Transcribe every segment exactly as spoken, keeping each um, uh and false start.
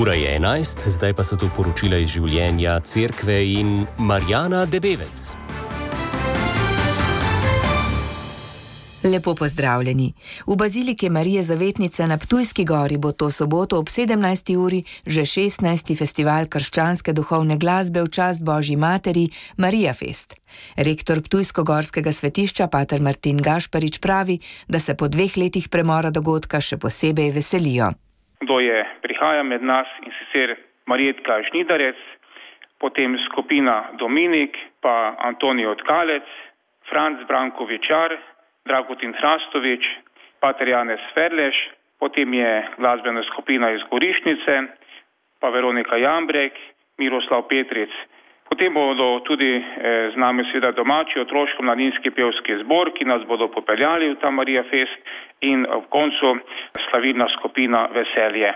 Ura je enajst, zdaj pa so tu poročila iz življenja cerkve in Marjana Debevec. Lepo pozdravljeni. V baziliki Marije Zavetnice na Ptujski gori bo to soboto ob sedemnajsti uri že šestnajsti festival krščanske duhovne glasbe v čast Božji materi Marija Fest. Rektor Ptujsko-gorskega svetišča pater Martin Gašparič pravi, da se po dveh letih premora dogodka še posebej veselijo. Kdo je prihaja med nas in sicer Marjetka Žnidarec, potem skupina Dominik, pa Antonijo Tkalec, Franc Brankovičar, Dragutin Hrastovič, pater Janez Ferleš, potem je glasbena skupina iz Gorišnice, pa Veronika Jambrek, Miroslav Petric. Potem bodo tudi eh, z nami seveda domači otroško-mladinski pevski zbor, ki nas bodo popeljali v ta Marija Fest in v koncu slavilna skupina Veselje.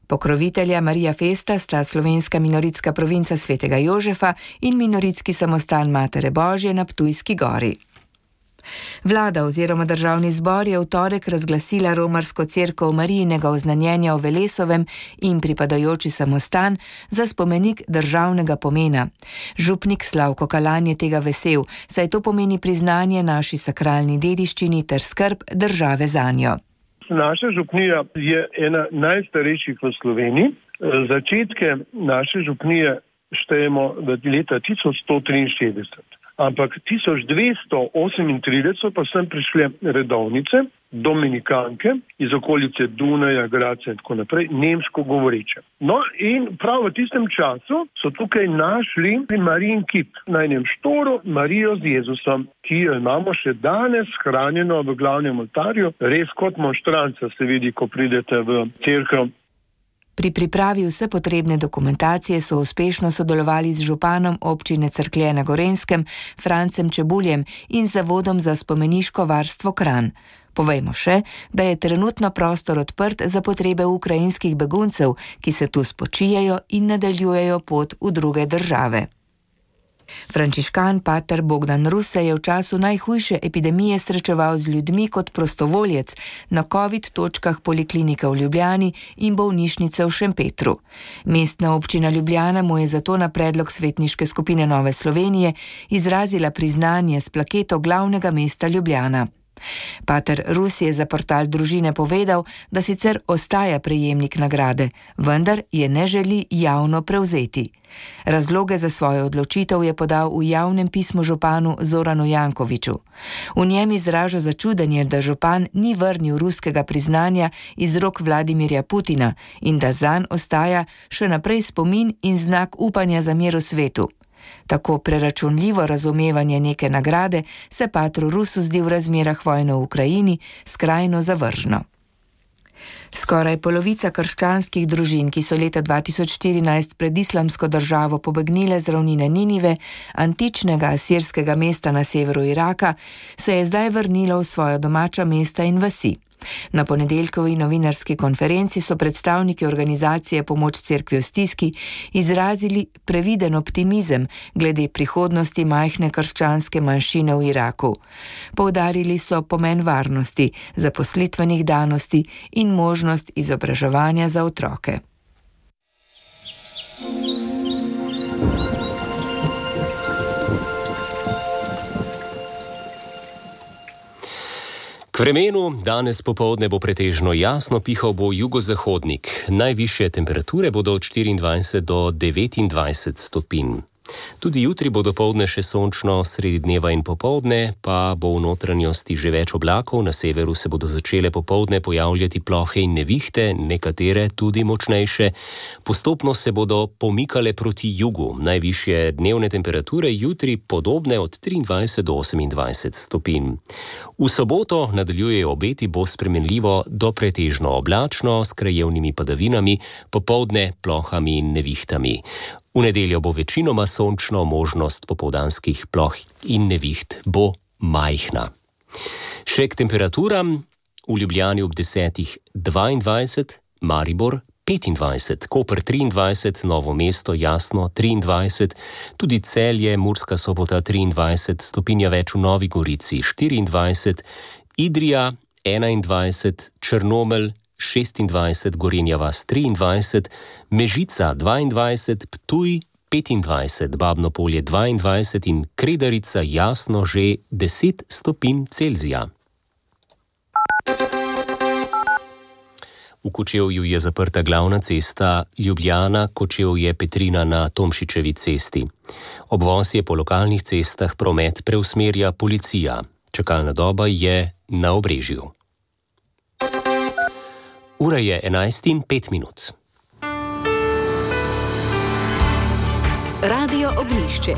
Pokrovitelja Marija Festa sta slovenska minoritska provinca Svetega Jožefa in minoritski samostan Matere Božje na Ptujski gori. Vlada oziroma državni zbor je v torek razglasila romarsko cerkev Marijinega oznanjenja v Velesovem in pripadajoči samostan za spomenik državnega pomena. Župnik Slavko Kalan je tega vesel, saj to pomeni priznanje naši sakralni dediščini ter skrb države zanjo. Naša župnija je ena najstarejših v Sloveniji. Začetke naše župnije štejemo v leta tisoč sto triinšestdeset. Ampak tisoč dvesto osemintrideset pa sem prišle redovnice, dominikanke iz okolice Dunaja, Graca in tako naprej, nemško govoreče. No in prav v tistem času so tukaj našli Marijin kip na enem štoru Marijo z Jezusom, ki jo imamo še danes hranjeno v glavnem oltarju, res kot monštranca se vidi, ko pridete v cerkev. Pri pripravi vse potrebne dokumentacije so uspešno sodelovali z županom občine Cerklje na Gorenjskem, Francem Čebuljem in Zavodom za spomeniško varstvo Kranj. Povejmo še, da je trenutno prostor odprt za potrebe ukrajinskih beguncev, ki se tu spočijajo in nadaljujejo pot v druge države. Frančiškan pater Bogdan Rus se je v času najhujše epidemije srečeval z ljudmi kot prostovoljec na covid točkah poliklinike v Ljubljani in bolnišnice v Šempetru. Mestna občina Ljubljana mu je zato na predlog svetniške skupine Nove Slovenije izrazila priznanje s plaketo glavnega mesta Ljubljana. Pater Rus je za portal Družine povedal, da sicer ostaja prejemnik nagrade, vendar je ne želi javno prevzeti. Razloge za svojo odločitev je podal v javnem pismu županu Zoranu Jankoviču. V njem izraža začudenje, da župan ni vrnil ruskega priznanja iz rok Vladimirja Putina in da zanj ostaja še naprej spomin in znak upanja za mir v svetu. Tako preračunljivo razumevanje neke nagrade se patru Rusu zdi v razmerah vojne v Ukrajini skrajno zavržno. Skoraj polovica krščanskih družin, ki so leta dva tisoč štirinajst pred islamsko državo pobegnile z ravnine Ninive, antičnega asirskega mesta na severu Iraka, se je zdaj vrnilo v svoja domača mesta in vasi. Na ponedeljkovi novinarski konferenci so predstavniki organizacije Pomoč cerkvi v stiski izrazili previden optimizem glede prihodnosti majhne krščanske manjšine v Iraku. Poudarili so pomen varnosti, zaposlitvenih danosti in možnost izobraževanja za otroke. K vremenu danes popoldne bo pretežno jasno, pihal bo jugozahodnik. Najvišje temperature bodo od štiriindvajset do devetindvajset stopinj. Tudi jutri bo dopoldne še sončno, sredi dneva in popoldne pa bo v notranjosti že več oblakov, na severu se bodo začele popoldne pojavljati plohe in nevihte, nekatere tudi močnejše. Postopno se bodo pomikale proti jugu, najvišje dnevne temperature jutri podobne od triindvajset do osemindvajset stopinj. V soboto nadaljujejo obeti, bo spremenljivo do pretežno oblačno s krajevnimi padavinami, popoldne plohami in nevihtami. V nedeljo bo večinoma sončno, možnost popoldanskih ploh in neviht bo majhna. Še k temperaturam: v Ljubljani ob desetih dvaindvajset, Maribor petindvajset, Koper triindvajset, Novo mesto jasno triindvajset, tudi Celje, Murska Sobota triindvajset, stopinja več v Novi Gorici štiriindvajset, Idrija enaindvajset, Črnomelj šestindvajset, Gorenja vas triindvajset, Mežica dvaindvajset, Ptuj petindvajset, Babno Polje dvaindvajset in Kredarica Jasno že deset stopinj Celzija. V Kočevju je zaprta glavna cesta Ljubljana-Kočevje-Petrina na Tomšičevi cesti. Obvoz je po lokalnih cestah promet preusmerja policija. Čakalna doba je na Obrežju. Ura je enajst in pet minut. Radio Ognjišče.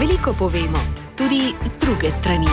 Veliko povemo, tudi z druge strani.